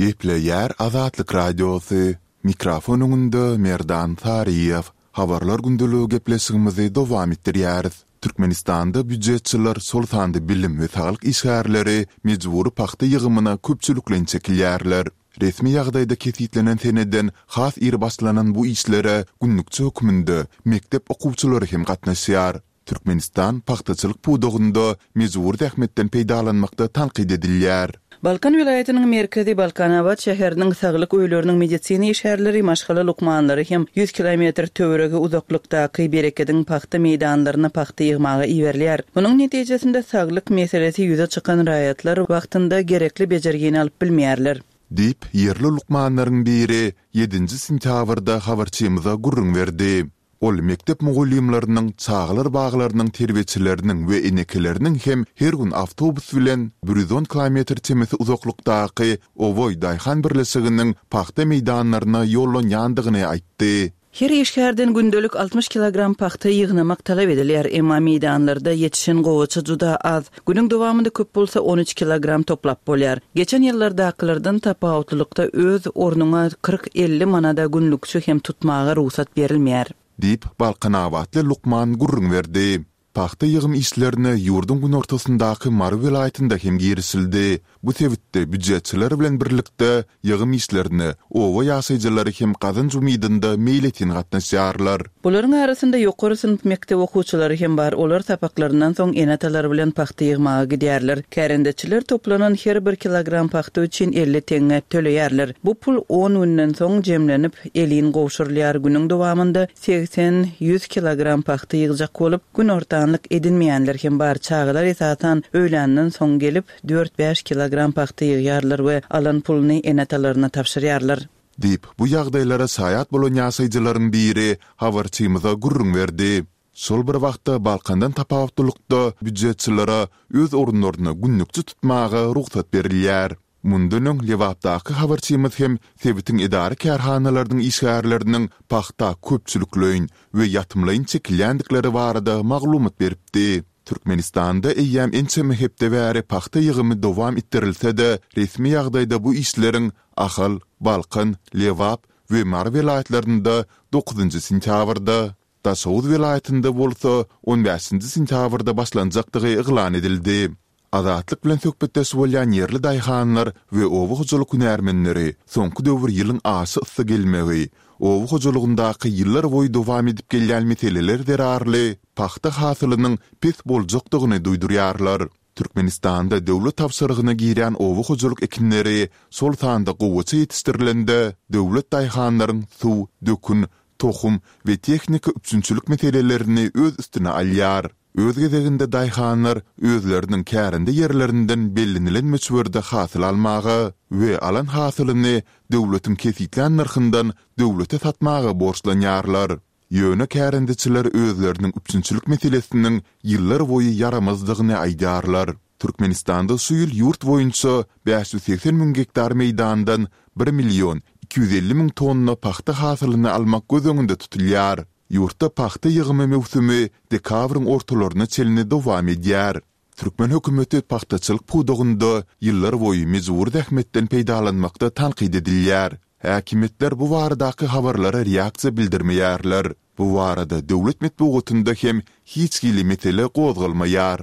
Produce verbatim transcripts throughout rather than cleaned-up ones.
Gepleýär Azatlyk Radiosy, Mikrofon öňünde Merdan Saryýew. Habarlar gündeligi gepleşigimizi dowam etdirýäris. Türkmenistanda býujetçiler, şol sanda bilim we saglyk işgärleri mejbury pagta ýygymyna köpçülikleýin çekilýärler. Resmi ýagdaýda kesgitlenen seneden has ir başlanan bu işlere günlükçi hökmünde mekdep okuwçylary hem gatnaşýar. Türkmenistan pagtaçylyk pudagynda mejbury zähmetden peýdalanmakda tankyt edilýär. Balkan welaýatynyň merkezi Balkanabat şäheriniň saglyk öýleriniň medisina işgärleri, maşgala lukmanlary hem ýüz kilometr töweregi uzaklykdaky Berekediň pagta meýdanlaryna pagta ýygmaga iberilýär. Munuň netijesinde saglyk meselesi ýüze çykan raýatlar wagtynda gerekli bejergini alyp bilmeýärler. Diýip, ýerli lukmanlaryň biri ýedinji sentýabrda habarçymyza gürrüň berdi. Ol mekdep mugallymlarynyň, çagalar baglarynyň terbiýeçileriniň we enekeleriniň hem her gün awtobus bilen bir ýüz on kilometr çemesi uzaklykdaky Oboý daýhan birleşiginiň pagta meýdanlaryna ýollanýandygyny aýtdy. Her işgärden gündelik altmyş kilogram pagta ýygnamak talap edilýär, emma meýdanlarda ýetişen gowaça juda az. Günüň dowamynda köp bolsa on üç kilogram toplap bolýar. Geçen ýyllardakylardan tapawutlylykda öz ornuňa kyrk-elli manada günlükçi hem tutmaga rugsat berilmeýär. Diýip, balkanabatly lukman gürrüň berdi. Pagta ýygym işlerine ýurduň günortasyndaky Mary welaýatynda hem girişildi. Bu sebitde býujetçiler bilen birlikde ýygym işlerine oba ýaşaýjylary hem gazanç umydynda meýletin gatnaşýarlar. Bularyň arasynda ýokary synp mekdep okuwçylary hem bar, olar sapaklaryndan soň ene-atalary bilen pagta ýygmaga gidýärler. Kärendeçiler toplanan her bir kilogram pagta üçin elli teňňe töleýärler. Bu pul on günden soň jemlenip, elin gowşurylýar. Günüň dowamynda segsen, ýüz kilogram pagta ýygjak bolup, günortanlyk edinmeýänler hem bar. Çagalar esasan öýländen soň gelip, dört-bäş kilogram pagta ýygýarlar we alan puluny ene-atalaryna tabşyrýarlar. Diýip, bu ýagdaýlara şaýat bolan ýaşaýjylaryň biri habarçymyza gürrüň berdi. Şol bir wagtda Balkandan tapawutlylykda býujetçilere öz orunlaryna günlükçi tutmaga rugsat berilýär. Mundan öň Lebapdaky habarçymyz hem sebitiň edara-kärhanalarynyň işgärleriniň pagta köpçülikleýin we ýatymlaýyn çekilýändikleri barada maglumat beripdi. Türkmenistanda eýýäm ençeme hepde bäri pagta ýygymy dowam etdirilse-de, resmi ýagdaýda bu işleriň Ahal, Balkan, Lebap we Mary welaýatlarynda dokuzynjy sentýabrda, Daşoguz welaýatynda bolsa on bäşinji sentýabrda başlanjakdygy yglan edildi. Azatlyk bilen söhbetdeş bolýan ýerli daýhanlar we oba hojalyk hünärmenleri soňky döwür ýylyň aşa yssy gelmegi, oba hojalygyndaky ýyllar boýy dowam edip gelýän meseleler zerarly pagta hasylynyň pes boljakdygyny duýdurýarlar. Türkmenistanda döwlet tabşyrygyna girýän oba hojalyk ekinleri, şol sanda gowaça ýetişdirilende, döwlet daýhanlaryň suw, dökün, tohum we tehnika üpjünçilik meselelerini öz üstüne alýar. Öz gezeginde daýhanlar özleriniň kärende ýerlerinden bellenilen möçberde hasyl almaga we alan hasylyny döwletiň kesgitlän nyrhyndan döwlete satmaga borçlanýarlar. Ýöne kärendeçiler özleriniň üpjünçilik meselesiniň ýyllar boýy ýaramazdygyny aýdýarlar. Türkmenistanda şu ýyl ýurt boýunça bäş ýüz segsen müň gektar meýdandan bir million iki ýüz elli müň tonna pagta hasylyny almak göz öňünde tutulýar. Ýurtda pagta ýygymy möwsümi dekabryň ortalaryna çenli dowam edýär. Türkmen hökümeti pagtaçylyk pudagynda ýyllarboýy mejbury zähmetden peýdalanmakda tankyt edilýär. Häkimiýetler bu baradaky habarlara reaksiýa bildirmeýärler. Bu barada döwlet metbugatynda hem hiç hili mesele gozgalmaýar.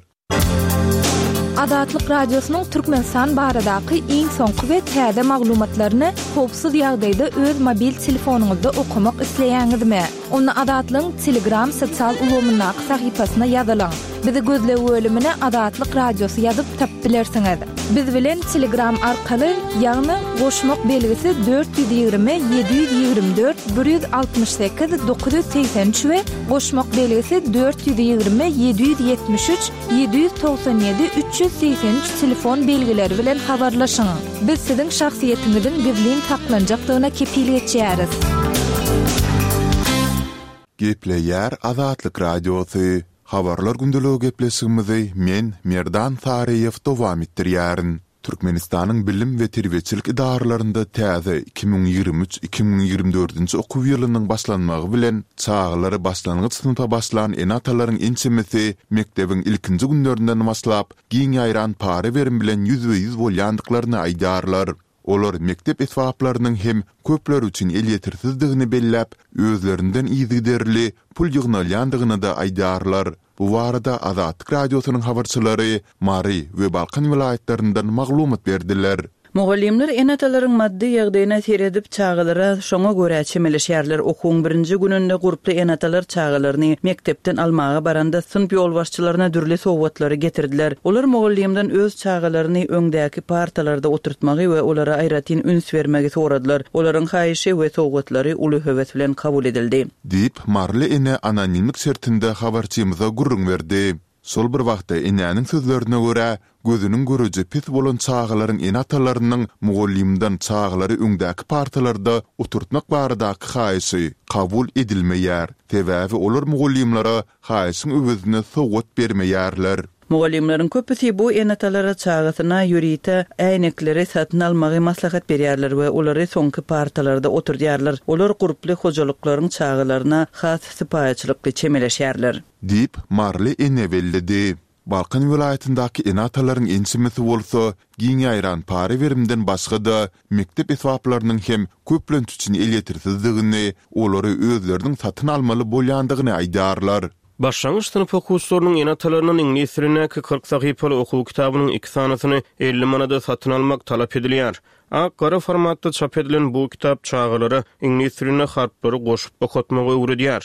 Azatlyk Radiosynyň Türkmenistan baradaky iň soňky we täze maglumatlaryny howpsuz ýagdaýda öz mobil telefonyňyzda okamak isleýäňizmi? Onda Azatlygyň Telegram sosial ulgamyndaky sahypasyna ýazylyň. Bizi gözleg bölümine Azatlyk Radiosy ýazyp tapyp bilersiňiz. Biz bilen Telegram arkaly, ýagny goşmak belgisi dört ýüz ýigrimi ýedi ýüz ýigrimi dört bir ýüz altmyş sekiz dokuz ýüz segsen üç we goşmak belgisi dört ýüz ýigrimi ýedi ýüz ýetmiş üç ýedi ýüz togsan ýedi üç ýüz segsen üç telefon belgileri bilen habarlaşyň. Biz siziň şahsyýetiňiziň gizlin saklanjakdygyna kepil geçýäris. Gepleýär Azatlyk Radiosy, Habarlar gündeligi gepleşigimizi men, Merdan Saryýew dowam etdirýärin. Türkmenistanyň bilim we terbiýeçilik edaralarynda täze iki müň ýigrimi üç, iki müň ýigrimi dördünji okuw ýylynyň başlanmagy bilen çagalary başlangyç synpa başlan ene-atalaryň ençemesi mekdebiň ilkinji günlerinden başlap giň ýaýran para-berim bilen ýüzbe-ýüz bolýandyklaryny aýdýarlar. Olar mekdep esbaplarynyň hem köpler üçin elýetersizdigini belläp, özlerinden yzygiderli pul ýygnalýandygyny-da aýdýarlar. Bu barada Azatlyk Radiosynyň habarçylary Mary we Balkan welaýatlaryndan maglumat berdiler. Mugallymlar ene-atalaryň maddy ýagdaýyna seredip, çagalara şoňa görä çemeleşýärler. Okuwyň birinji gününde gurply ene-atalar çagalaryny mekdepden almaga baranda synp ýolbaşçylaryna dürli sowgatlary getirdiler. Olar mugallymdan öz çagalaryny öňdäki partalarda oturtmagy we olara aýratyn üns bermegi soradylar. Olaryň haýyşy we sowgatlary uly höwes bilen kabul edildi. Diýip, maryly ene anonimlik şertinde habarçymyza gürrüň berdi. Şol bir wagtda enäniň sözlerine görä, gözüniň göreji pes bolan çagalaryň ene-atalarynyň mugallymdan çagalary öňdäki partalarda oturtmak baradaky haýyşy kabul edilmeýär. Sebäbi olar mugallymlara haýyşyň öwezine sowgat bermeýärler. Mugallymlaryň köpüsi bu ene-atalara çagasyna ýörite äýnekleri satyn almagy maslahat berýärler we olary soňky partalarda oturdýarlar. Olar gurply hojalyklaryň çagalaryna has sypaýyçylykly çemeleşýärler. Diýip, maryly ene belledi. Balkan welaýatyndaky ene-atalaryň ençemesi bolsa, giň ýaýran para berimden başga-da, mekdep esbaplarynyň hem köplenç üçin elýetersizdigini, olary özleriniň satyn almaly bolýandygyny aýdýarlar. Başlangyç synp okuwçylarynyň ene-atalaryndan iňlis dilindäki kyrk sahypaly okuw kitabynyň iki sanysyny elli manada satyn almak talap edilýär. Ak-gara formatda çap edilen bu kitap çagalara iňlis dilinde harplary goşup okatmagy öwredýär.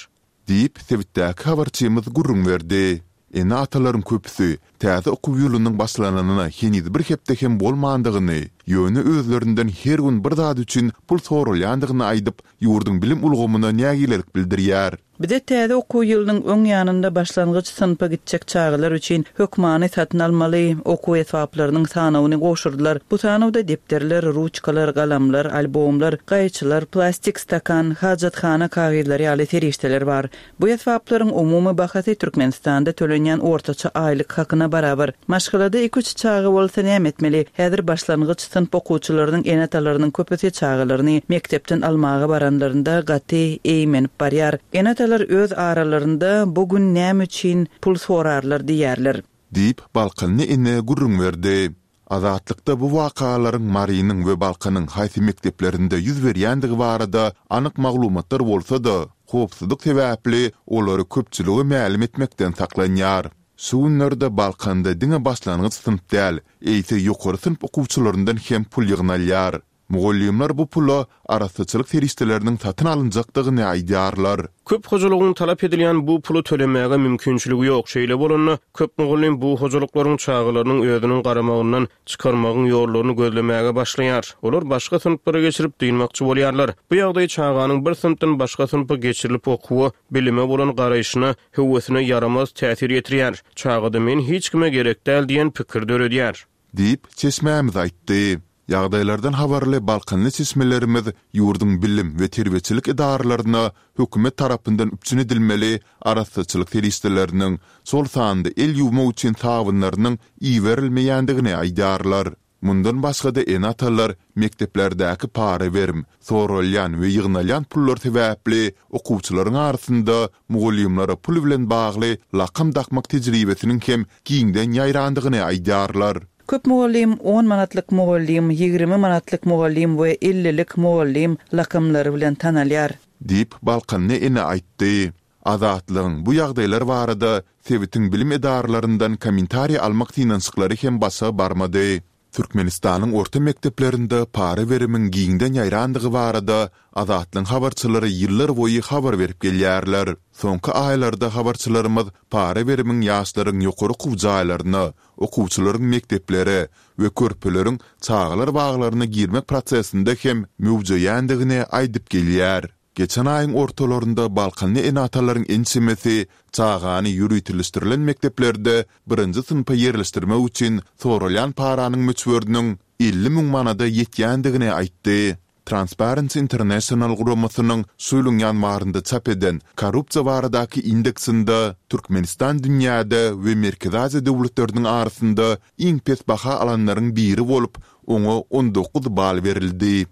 Diýip, sebitdäki habarçymyz gürrüň berdi. Ene-atalaryň köpüsi täze okuw ýylynyň başlanyna heniz bir hepde hem bolmandygyny, ýöne özlerinden her gün bir zat üçin pul soralýandygyny aýdyp, ýurduň bilim ulgamyna nägilelik bildirýär. Bize täze okuw ýylynyň öň ýanynda başlangyç synpa gitjek çagalar üçin hökmany satyn almaly okuw esbaplarynyň sanawyny gowşurdylar. Bu sanawda depderler, ruçkalar, galamlar, albomlar, gaýçylar, plastik stakan, hajathana kagyzlary ýaly serişdeler bar. Bu esbaplaryň umumy bahasy Türkmenistanda tölenýän ortaça aýlyk hakyna barabar. Maşgalada iki-üç çaga bolsa näme etmeli? Häzir başlangyç synp okuwçylarynyň ene-atalarynyň köpüsi çagalaryny mekdepden almaga baranlarynda gaty eýmenip barýar. Ene-atalar öz aralarynda bu gün näme üçin pul sorarlar diýýärler. Diýip, balkanly ene gürrüň berdi. Azatlykda bu wakalaryň Marynyň we Balkanyň haýsy mekdeplerinde ýüz berýändigi barada anyk maglumatlar bolsa-da, howpsuzlyk sebäpli olary köpçülige mälim etmekden saklanýar. Şu günlerde Balkanda diňe başlangyç synp däl, eýse ýokary synp okuwçylaryndan hem pul ýygnalýar. Mugallymlar bu pula arassaçylyk serişdeleriniň satyn alynjakdygyny aýdýarlar. Köp hojalygyň talap edilýän bu puly tölemäge mümkinçiligi ýok. Şeýle bolanda, köp mugallym bu hojalyklaryň çagalarynyň özüniň garamagyndan çykarmagyň ýollaryny gözlemäge başlaýar. Olar başga synplara geçirip dynmakçy bolýarlar. Bu ýagdaý çaganyň bir synpdan başga synpa geçirilip okuwa, bilime bolan garaýşyna, höwesine ýaramaz täsir ýetirýär. Çagada men hiç kime gerek däl diýen pikir döredýär. Diýip, çeşmämiz aýtdy. Ýagdaýlardan habarly balkanly çeşmelerimiz ýurduň bilim we terbiýeçilik edaralaryna hökümet tarapyndan üpjün edilmeli arassaçylyk serişdeleriniň, şol sanda el ýuwmak üçin sabynlarynyň iberilmeýändigini aýdýarlar. Mundan başga-da ene-atalar mekdeplerdäki para berim, soralýan we ýygnalýan pullar sebäpli okuwçylaryň arasynda mugallymlara pul bilen bagly lakam dakmak tejribesiniň hem giňden ýaýrandygyny aýdýarlar. Köp mugallym on manatlyk mugallym, ýigrimi manatlyk mugallym we ellilik mugallym lakamlary bilen tanalýar. Diýip, balkanly ene aýtdy. Azatlygyň bu ýagdaýlar barada sebitiň bilim edaralaryndan kommentariý almak synanyşyklary hem başa barmady. Türkmenistanyň orta mekdeplerinde para berimiň giňden ýaýrandygy barada Azatlygyň habarçylary ýyllar boýy habar berip gelýärler. Soňky aýlarda habarçylarymyz para berimiň ýaşlaryň ýokary okuw jaýlaryna, okuwçylaryň mekdeplere we körpeleriň çagalar baglaryna girmek prosesinde hem möwjeýändigini aýdyp gelýär. Geçen aýyň ortalarynda balkanly ene-atalaryň ençemesi çagany ýöriteleşdirilen mekdeplerde birinji synpa ýerleşdirmek üçin soralýan paranyň möçberiniň elli müň manada ýetýändigini aýtdy. Transparency International guramasynyň şu ýylyň ýanwarynda çap eden korrupsiýa baradaky indeksinde Türkmenistan dünýäde we Merkezi Aziýa döwletleriniň arasynda iň pes baha alanlaryň biri bolup, oňa on dokuz bal berildi.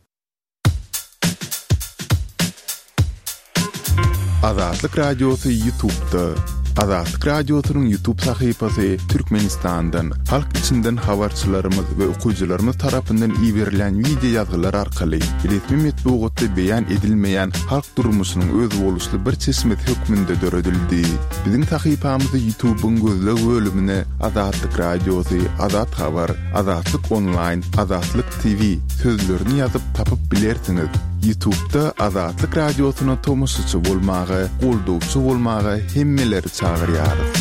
Azatlyk Radiosy YouTube'da. Azatlyk Radiosynyň YouTube sahypasy Türkmenistandan, halk içinden habarçylarymyz we okyjylarymyz tarapyndan iberilýän wideo ýazgylar arkaly resmi metbugatda beýan edilmeýän halk durmuşynyň özboluşly bir çeşmesi hökmünde döredildi. Biziň sahypamyzy YouTube-yň gözleg bölümine Azatlyk Radiosy, Azat Habar, Azatlyk Onlaýn, Azatlyk T V sözlerini ýazyp tapyp bilersiňiz. YouTube-da Azatlyk Radiosyna tomaşaçy bolmaga, goldawçy bolmaga hemmeleri çagyrýarys.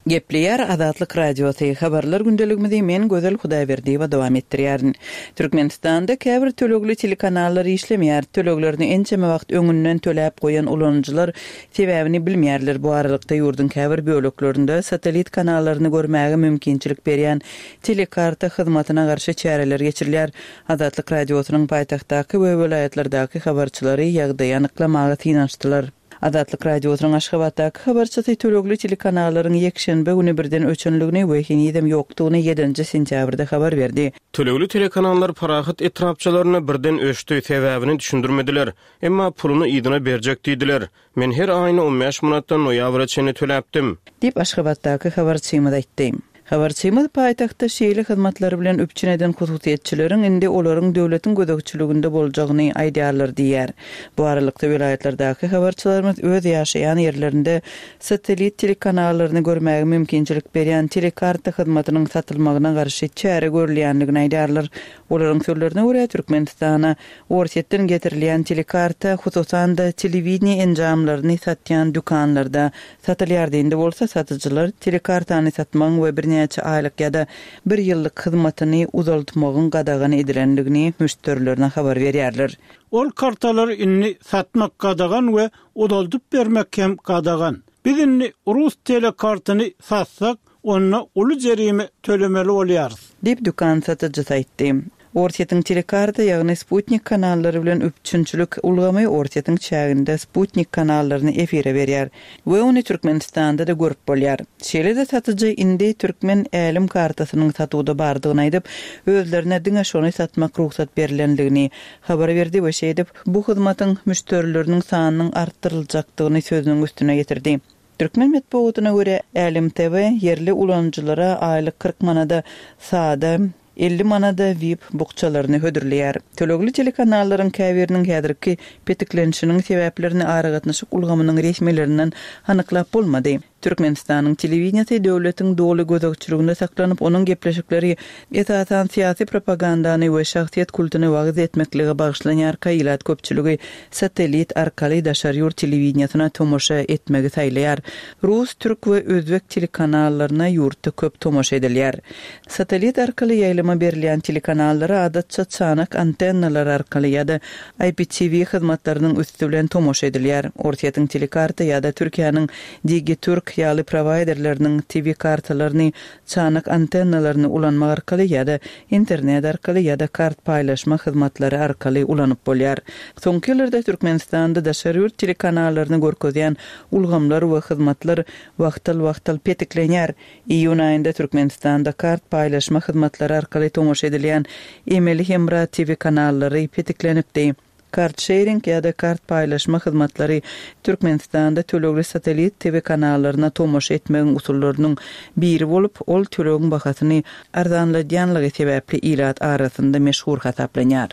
Gepleýär Azatlyk Radiosy. Habarlar gündeligimizi men Gözel Hudaýberdiýewa dowam etdirýärin. Türkmenistanda käbir tölegli telekanallar işlemeýär. Töleglerini ençeme wagt öňünden töläp goýan ulanyjylar sebäbini bilmeýärler. Bu aralykda ýurduň käbir böleklerinde satellit kanallaryny görmäge mümkinçilik berýän telekarta hyzmatyna garşy çäreler geçirilýär. Azatlyk Radiosynyň paýtagtdaky we welaýatlardaky habarçylary ýagdaýy anyklamaga synanyşdylar. Azatlyk Radiosynyň Aşgabatdaky habarçysy tölegli telekanallaryň ýekşenbe güni birden öçenligini we henizem ýokdugyny ýedinji sentýabrda habar berdi. Tölegli telekanallar Parahat etrapçalarynda birden öçdi, sebäbini düşündirmediler. Emma puluny yzyna berjek diýdiler. Men her aýyny on bäş manatdan noýabra çenli töläpdim. Diýip, Aşgabatdaky habarçymyz aýtdy. Habarçymyz paýtagtda şeýle hyzmatlar bilen üpjün eden hususyýetçileriň indi olaryň döwletiň gözegçiliginde boljagyny aýdýarlar diýýär. Bu aralykda welaýatlardaky habarçylarymyz öz ýaşaýan ýerlerinde satellit telekanallaryny görmäge mümkinçilik berýän telekarta hyzmatynyň satylmagyna garşy çäre görülýändigini aýdýarlar. Olaryň sözlerine görä, Türkmenistana Orsýetden getirilýän telekarta, hususan-da telewideniýe enjamlaryny satýan dükanlarda satylýar. Indi bolsa satyjylar telekartany satmagyň we birnäçe aýlyk ýa-da bir ýyllyk hyzmatyny uzaltmagyň gadagan edilendigini müşderilerine habar berýärler. Ol kartalary indi satmak gadagan we uzaldyp bermek hem gadagan. Biz indi rus telekartyny satsak, onda uly jerime tölemeli bolýarys. Diýip dükan satyjysy aýtdy. Orsýetiň telekarta, ýagny Sputnik kanallary bilen üpjünçilik ulgamy Orsýetiň çäginde Sputnik kanallaryny efire berýär we ony Türkmenistanda-da görüp bolýar. Şeýle-de satyjy indi türkmen älem kartasynyň satuwda bardygyny aýdyp, özlerine diňe şony satmak rugsat berilendigini habar berdi we şeýdip bu hyzmatyň müşderileriniň sanynyň artdyryljakdygyny sözüniň üstüne getirdi. Türkmen metbugatyna görä Älem T V ýerli ulanyjylara aýlyk kyrk manada sada, elli manada V I P bukjalaryny hödürleýär. Tölegli telekanallaryň käbiriniň häzirki petiklenişiniň sebäplerini aragatnaşyk ulgamynyň resmilerinden anyklap bolmady. Türkmenistanyň telewideniýesi döwletiň doly gözegçiliginde saklanyp, onuň gepleşikleri esasan syýasy propagandany we şahsyýet kultuny wagyz etmeklige bagyşlanýarka ilat köpçüligi satellit arkaly daşary ýurt telewideniýesine tomaşa etmegi saýlaýar. Rus, türk we özbek telekanallaryna ýurtda köp tomaşa edilýär. Satellit arkaly ýaýlyma berilýän telekanallara adatça çanak antennalar arkaly ýa-da I P T V hyzmatlarynyň üsti bilen tomaşa edilýär. Orsýetiň telekarta ýa-da Türkiýäniň Digiturk ýaly prowaýderleriniň T V kartalaryny, çanak antennalaryny ulanmak arkaly ýa-da internet arkaly ýa-da kart paýlaşma hyzmatlary arkaly ulanyp bolýar. Soňky ýyllarda Türkmenistanda daşary ýurt telekanallaryny görkezýän ulgamlar we hyzmatlar wagtal-wagtal petiklenýär. Iýun aýynda Türkmenistanda kart paýlaşma hyzmatlary arkaly tomaşa edilýän emeli hemra T V kanallary petiklenipdi. Kart sharing ýa-da kart paýlaşma hyzmatlary Türkmenistanda tölegli satellit T V kanallaryna tomaşa etmegiň usullarynyň biri bolup, ol tölegiň bahasyny arzanladýanlygy sebäpli ilat arasynda meşhur hasaplanýar.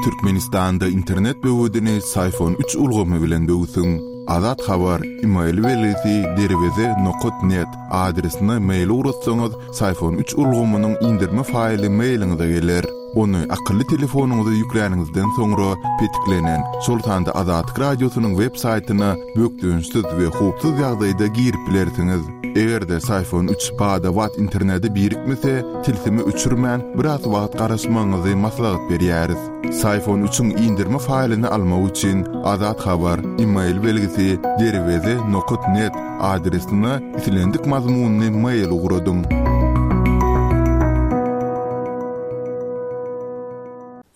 Türkmenistanda internet böwedini Syfon üç ulgamy bilen böwsüň. Azat Habar, e-mail belgisi derweze nokat net adresine mail ugratsaňyz, Syfon üç ulgamynyň indirme faýly mailiňize geler. Ony akylly telefonyňyza ýükläniňizden soňra petiklenen, şol sanda Azatlyk Radiosynyň web saýtyna bökdençsiz we howpsuz ýagdaýda girip bilersiňiz. Eger-de Syfon üç bada-bat internete birikmese, tilsimi öçürmän biraz wagt garaşmagyňyzy maslahat berýäris. Syfon üçiň indirme faýlyny almak üçin Azat Habar, e-mail belgisi derweze nokat net adresine islendik mazmunyny mail ugradyň.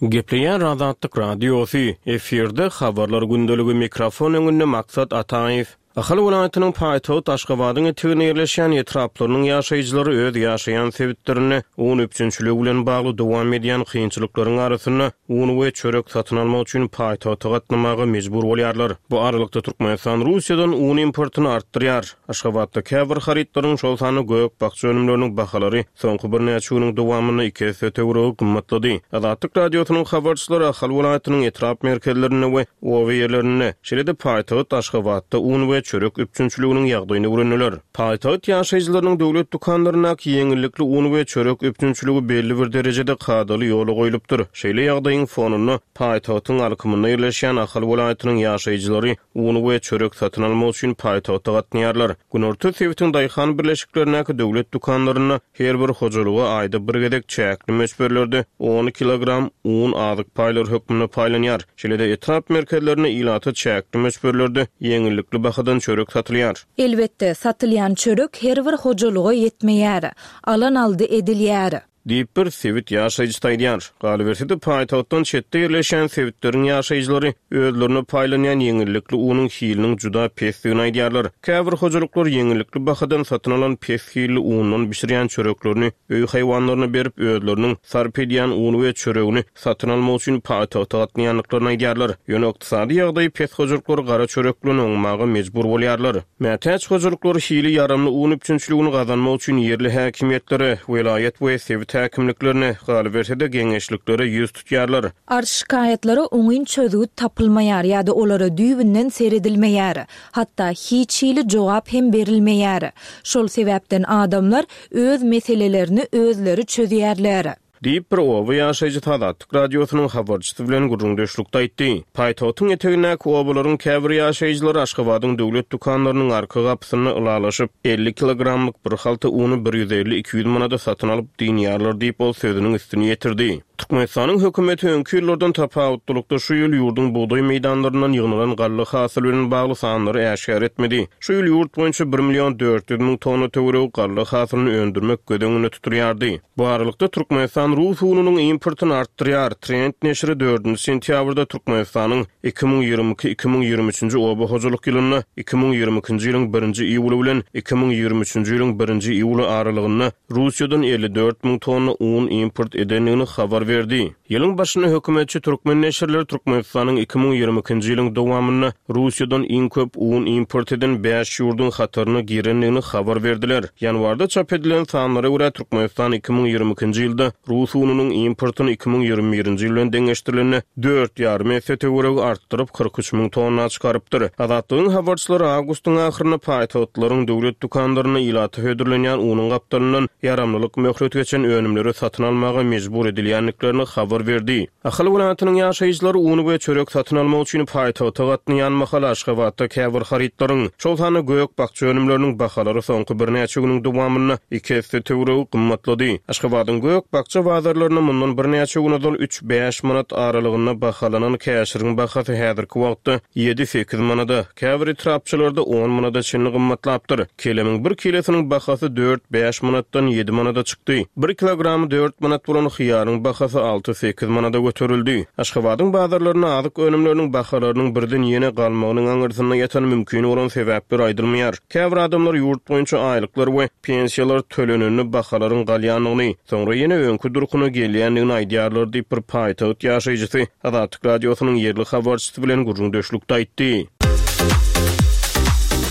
Gepleýär Azatlyk Radiosy, efirde habarlar gündeligi mikrofon öňünde Maksat Ataýew. Ahal welaýatynyň paýtagty Aşgabadyň eteginde ýerleşýän etraplarynyň ýaşaýjylary öz ýaşaýan sebitlerinde un üpjünçiligi bilen bagly dowam edýän kynçylyklaryň arasynda un we çörek satyn almak üçin paýtagta gatnamaga mejbur bolýarlar. Bu aralykda Türkmenistan Russiýadan un importyny artdyrýar. Aşgabatda käbir harytlaryň, şol sanda gök-bakja önümleriniň bahalary soňky birnäçe günüň dowamynda iki esse töweregi gymmatlady. Azatlyk Radiosynyň habarçylary Ahal welaýatynyň etrap merkezlerinde we oba ýerlerinde, şeýle-de paýtagt Aşgabatda un we çörek üpjünçiliginiň ýagdaýyny öwrendiler. Paýtagt ýaşaýjylarynyň döwlet dükanlaryndaky ýeňillikli un we çörek üpjünçiligi belli bir derejede kadaly ýola goýlupdyr. Şeýle ýagdaýyň fonunda paýtagtyň alkymynda ýerleşýän Ahal welaýatynyň ýaşaýjylary un we çörek satyn almak üçin paýtagta gatnaýarlar. Günorta sebitiň daýhan birleşiklerindäki döwlet dükanlarynda her bir hojalyga aýda bir gezek çäkli möçberlerde on kilogram un azyk paýlary hökmünde paýlanýar. Şeýle-de etrap merkezlerinde ilata çäkli möçberlerde ýeňillikli bahadan çörek satylýar. Elbetde, satylýan çörek her bir hojalyga ýetmeýär. Alan aldy edilýär. Diýip bir sebit ýaşaýjysy aýdýar. Galyberse-de paýtagtdan çetde ýerleşen sebitleriň ýaşaýjylary özlerine paýlanýan ýeňillikli unuň hiliniň juda pesdigini aýdýarlar. Käbir hojalyklar ýeňillikli bahadan satyn alan pes hilli undan bişirýän çöreklerini öý haýwanlaryna berip özleriniň sarp edýän uny we çöregini satyn almak üçin paýtagta gatnaýandyklaryny aýdýarlar. Ýöne ykdysady ýagdaýy pes hojalyklar gara çörek bilen oňmaga mejbur bolýarlar. Mätäç hojalyklar hili ýaramly un üpjünçiligini gazanmak üçin ýerli häkimiýetlere, welaýat we sebit häkimliklerine, galyberse-de geňeşliklere ýüz tutýarlar. Arz şikaýatlara oňyn çözgüt tapylmaýar ýa-da olara düýbünden seredilmeýär. Hatda hiç hili jogap hem berilmeýär. Şol sebäpden adamlar öz meselelerini özleri çözýärler. Diýip bir oba ýaşaýjysy Azatlyk Radiosynyň habarçysy bilen gürrüňdeşlikde aýtdy. Paýtagtyň etegindäki obalaryň käbir ýaşaýjylary Aşgabadyň döwlet dükanlarynyň arka gapysynda ylalaşyp, elli kilogramlyk bir halta uny bir ýüz elli iki ýüz manada satyn alyp dynýarlar diýip ol sözüniň üstüni ýetirdi. Türkmenistanyň hökümeti öňki ýyllardan tapawutlylykda şu ýyl ýurduň bugdaý meýdanlaryndan ýygnalan galla hasyly bilen bagly sanlary äşgär etmedi. Şu ýyl ýurt boýunça bir million dört ýüz müň tonna töweregi galla hasylyny öndürmek göz öňünde tutulýardy. Bu aralykda Türkmenistan rus ununyň importyny artdyrýar. Trend neşiri dördünji sentýabrda Türkmenistanyň iki müň ýigrimi iki iki müň ýigrimi üçünji oba hojalyk ýylynda iki müň ýigrimi ikinji ýylyň birinji iýuly bilen iki müň ýigrimi üçünji ýylyň birinji iýuly aralygynda Russiýadan elli dört müň tonna un import edendigini habar berdi. Ýylyň başynda hökümetçi türkmen neşirleri Türkmenistanyň iki müň ýigrimi ikinji ýylyň dowamynda Russiýadan iň köp un import eden bäş ýurduň hataryna girendigini habar berdiler. Ýanwarda çap edilen sanlara görä Türkmenistan iki müň ýigrimi ikinji ýylda Rus ununyň importyny iki müň ýigrimi birinji ýyl bilen deňeşdirilende dört ýarym esse töweregi artdyryp kyrk üç müň tonna çykarypdyr. Azatlygyň habarçylary awgustyň ahyrynda paýtagtlaryň döwlet dükanlarynda ilata hödürlenýän unuň gapdalyndan ýaramlylyk möhlet geçen önümleri satyn almaga mejbur edilýändiklerini habar berdi. Ahal welaýatynyň ýaşaýjylary uny we çörek satyn almak üçin paýtagta gatnaýan mahal Aşgabatda käbir harytlaryň, şol sanda gök-bakja önümleriniň bahalary soňky birnäçe günüň dowamynda iki esse töweregi gymmatlady. Aşgabadyň gök-bakja bazarlarynda mundan birnäçe gün ozal üç bäş manat aralygynda bahalanan käşiriň bahasy häzirki wagtda ýedi sekiz manada, käbir etrapçalarda on manada çenli gymmatlapdyr. Kelemiň bir kilosiniň bahasy dört bäş manatdan ýedi manada çykdy. Bir kilogramy dört manat bolan hyýaryň bahasy alty sekiz manada göterildi. Aşgabadyň bazarlarynda azyk önümleriniň bahalarynyň birden ýene galmagynyň aňyrsynda ýatan mümkin bolan sebäpler aýdylmaýar. Käbir adamlar ýurt boýunça aýlyklar we pensiýalar tölenende bahalaryň galýandygyny, soňra ýene öňki durkuna gelýändigini aýdýarlar diýip bir paýtagt ýaşaýjysy Azatlyk Radiosynyň ýerli habarçysy bilen gürrüňdeşlikde aýtdy.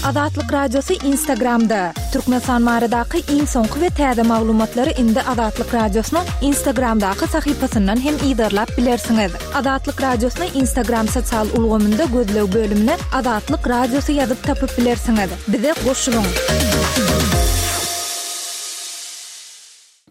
Azatlyk Radiosy Instagramda. Türkmenistan baradaky iň soňky we täze maglumatlary indi Azatlyk Radiosynyň Instagramdaky sahypasyndan hem yzarlap bilersiňiz. Azatlyk Radiosyny Instagram sosial ulgamynda gözleg bölümine Azatlyk Radiosy ýazyp tapyp bilersiňiz. Bize goşulyň.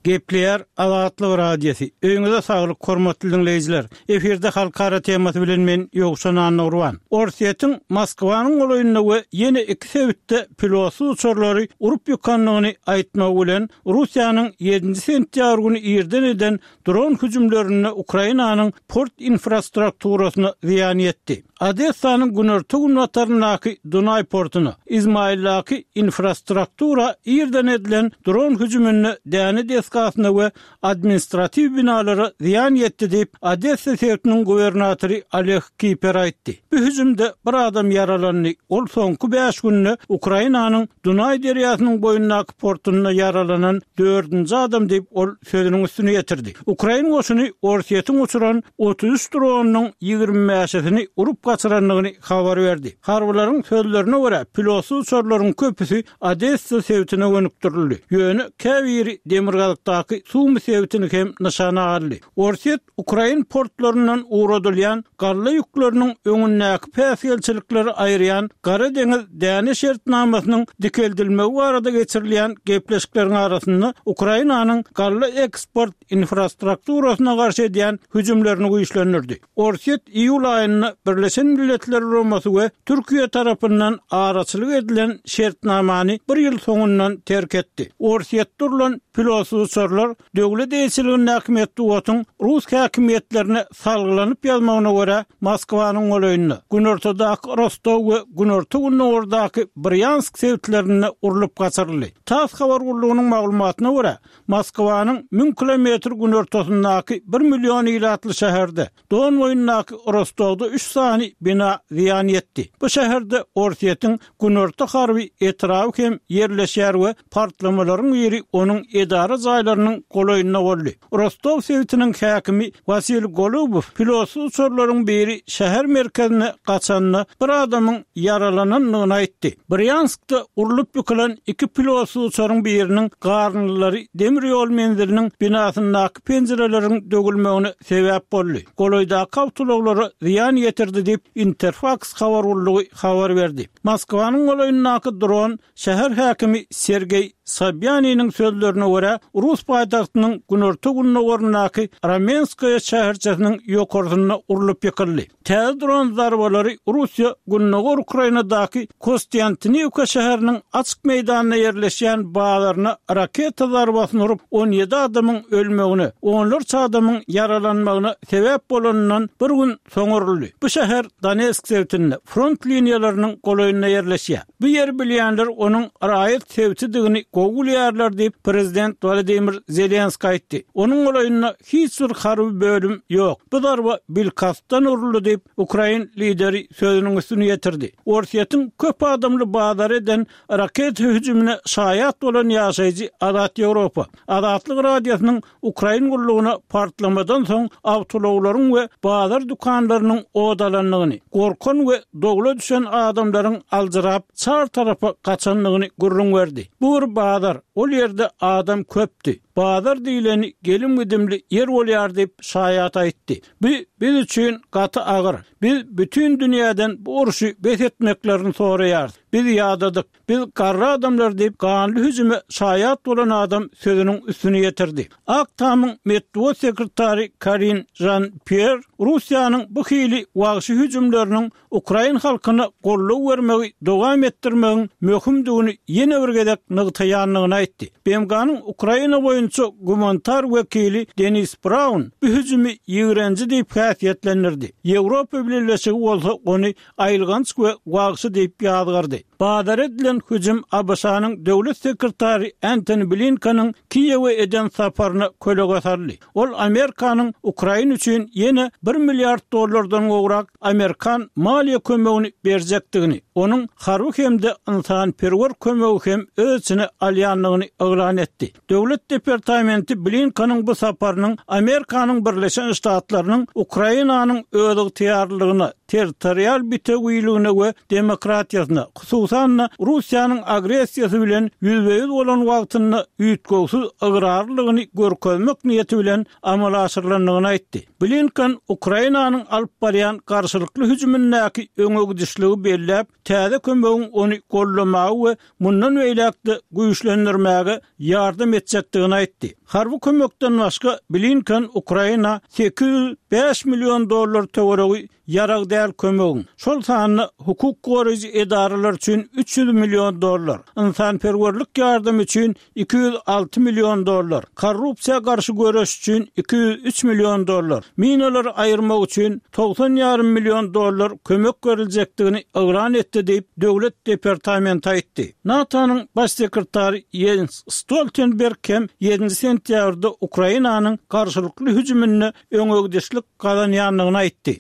Gepleýär Azatlyk Radiosy. Öýüňize saglyk, hormatly dinleýjiler. Efirde halkara temasy bilen men Ýowşan Annagurban. Orsýetiň Moskwanyň golaýynda we ýene iki sebitde pilotsyz uçarlary urup ýykandygyny aýtmagy bilen Russiýanyň ýedinji sentýabr güni irden eden dron hüjümlerinde Ukrainanyň port infrastrukturasyna zyýan ýetdi. Odessanyň günorta günbataryndaky Dunaý portuna, Izmaildaky infrastruktura irden edilen dron hüjüminde däne desgalaryna desgasyna we administratiw binalara zyýan ýetdi diýip, Odessa sebitiniň gubernatory Oleg Kiper aýtdy. Bu hüjümde bir adam ýaralandy, ol soňky bäş günde Ukrainanyň Dunaý derýasynyň boýundaky portunda ýaralanan dördünji adam diýip, ol sözüniň üstüni ýetirdi. Ukrain goşuny Orsýetiň uçuran otuz üç dronynyň ýigrimi bäşisini urup gaçyrandygyny habar berdi. Harbylaryň sözlerine görä, pilotsyz uçarlaryň köpüsi Odessa sebitine gönükdirildi. Ýöne käbiri demirgazykdaky Sumy sebitini hem nyşana aldy. Orsýet ukrain portlaryndan ugradylýan galla ýükleriniň öňündäki päsgelçilikleri aýyrýan Gara deňiz däne şertnamasynyň dikeldilmegi barada geçirilýän gepleşikleriň arasynda Ukrainanyň galla eksport infrastrukturasyna garşy edýän hüjümlerini güýçlendirdi. Orsýet iýul aýynda Birleşen Milletler Guramasy we Türkiýe tarapyndan araçylyk edilen şertnamany bir ýyl soňundan terk etdi. Orsýetde urlan pilotsyz uçarlar döwlet eýeçiligindäki metbugatyň rus häkimiýetlerine salgylanyp ýazmagyna görä, Moskwanyň golaýynda, günortadaky Rostow we günorta-gündogardaky Brýansk sebitlerinde urlup gaçyryldy. Tass habar gullugynyň maglumatyna görä, Moskwanyň müň kilometr günortasyndaky bir million ilatly şäherde, Don boýundaky Rostowda üç sany bina zyýan ýetdi. Bu şäherde Orsýetiň Günorta harby etraby hem ýerleşýär we partlamalaryň biri onuň edara jaýlarynyň golaýynda boldy. Rostow sebitiniň häkimi Wasiliý Golubow pilotsyz uçarlaryň biri şäher merkezine gaçanda bir adamyň ýaralanandygyny aýtdy. Brýanskda urlup ýykylan iki pilotsyz uçaryň biriniň garyndylary demir ýol menziliniň binasyndaky penjireleriň döwülmegine sebäp boldy, golaýdaky awtoulaglara zyýan ýetirdi diýip, Interfaks habar gullugy habar berdi. Moskwanyň golaýyndaky dron şäher häkimi Sergeý Sobýaniniň sözlerine görä, rus paýtagtynyň günorta-gündogaryndaky Ramenskoýe şäherçesiniň ýokarsynda urlup ýykyldy. Täze dron zarbalary Russiýa gündogar Ukrainadaky Kostýantiniwka şäheriniň açyk meýdanda ýerleşýän bazaryna raketa zarbasyny urup, on ýedi adamyň ölmegine, onlarça adamyň ýaralanmagyna sebäp bolanyndan bir gün soň uruldy. Bu şäher Donetsk sebitinde, front liniýalarynyň golaýynda ýerleşýär. Bu ýeri bilýänler onuň raýat sebitidigini gowy bilýärler diýip, prezident Wolodymyr Zelenskiý aýtdy. Onuň golaýynda hiç bir harby bölüm ýok. Bu zarba bilkastdan uruldy diýip, ukrain lideri sözüniň üstüni ýetirdi. Orsýetiň köp adamly bazara eden raketa hüjümine şaýat bolan ýaşaýjy Azat Ýewropa, Azatlyk Radiosynyň Ukrain gullugyna partlamadan soň awtoulaglaryň we bazar dükanlarynyň ot alandygyny, gorkan we dowla düşen adamlaryň aljyrap, çar tarapa gaçandygyny gürrüň berdi. Bu bir bazar, ol ýerde adam köpdi. Bazar diýleni gelim-gidimli ýer bolýar diýip, şaýat aýtdy. Bu biz üçin gaty agyr. Biz bütin dünýäden bu urşy bes etmeklerini soraýarys. Biz ýadadyk. Biz garry adamlar diýip, ganly hüjüme şaýat bolan adam sözüniň üstüni ýetirdi. Ak Tamyň metbugat sekretary Karin Žan-Pýer Russiýanyň bu hili wagşy hüjümleriniň ukrain halkyna goldaw bermegi dowam etdirmegiň möhümdigini ýene bir gezek nygtaýandygyny aýtdy. B M G-nyň Ukraina boýunça gumanitar wekili Denis Braun bu hüjümi ýigrenji diýip häsiýetlendirdi. Ýewropa Bileleşigi bolsa ony aýylganç we wagşy diýip ýazgardy. Bazara edilen hüjüm A B Ş-nyň döwlet sekretary Entoni Blinkeniň Kiýewe eden saparyna kölege saldy. Ol Amerikanyň Ukraina üçin ýene bir milliard dollardan gowrak amerikan maliýe kömegini berjekdigini, onuň harby hem-de ynsanperwer kömegi hem öz içine alýandygyny yglan etdi. Döwlet departamenti Blinkeniň bu saparynyň Amerikanyň Birleşen Ştatlarynyň Ukrainanyň özygtyýarlylygyna, territorial bitewiligine we demokratiýasyna, hususan-da Russiýanyň agressiýasy bilen ýüzbe-ýüz bolan wagtynda üýtgewsiz ygrarlylygyny görkezmek niýeti bilen amala aşyrylandygyny aýtdy. Blinken Ukrainanyň alyp barýan garşylykly hüjümindäki öňegidişligi belläp, täze kömegiň ony goldamaga we mundan beýläk-de güýçlendirmäge ýardam etjekdigini aýtdy. Harby kömekden başga Blinken Ukraina sekiz ýüz bäş million dollar töweregi ýarag däl kömegiň, şol sanda hukuk goraýjy edaralar üçin üç ýüz million dollar, ynsanperwerlik ýardamy üçin iki ýüz alty million dollar, korrupsiýa garşy göreş üçin iki ýüz üç million dollar, minalary aýyrmak üçin togsan ýarym million dollar kömek beriljekdigini yglan etdi diýip, Döwlet departamenti aýtdy. NATO-nyň Baş sekretary Ýens Stoltenberg hem ýedinji sentýabrda Ukrainanyň garşylykly hüjüminde öňegidişlik gazanýandygyny aýtdy.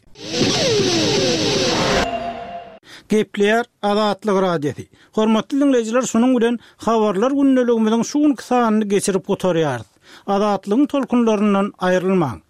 Gepleýär Azatlyk Radiosy. Hormatly diňleýjiler, şunuň bilen Habarlar gündeligimiziň şu günki sanyny geçirip gutarýarys. Azatlygyň tolkunlaryndan aýrylmaň!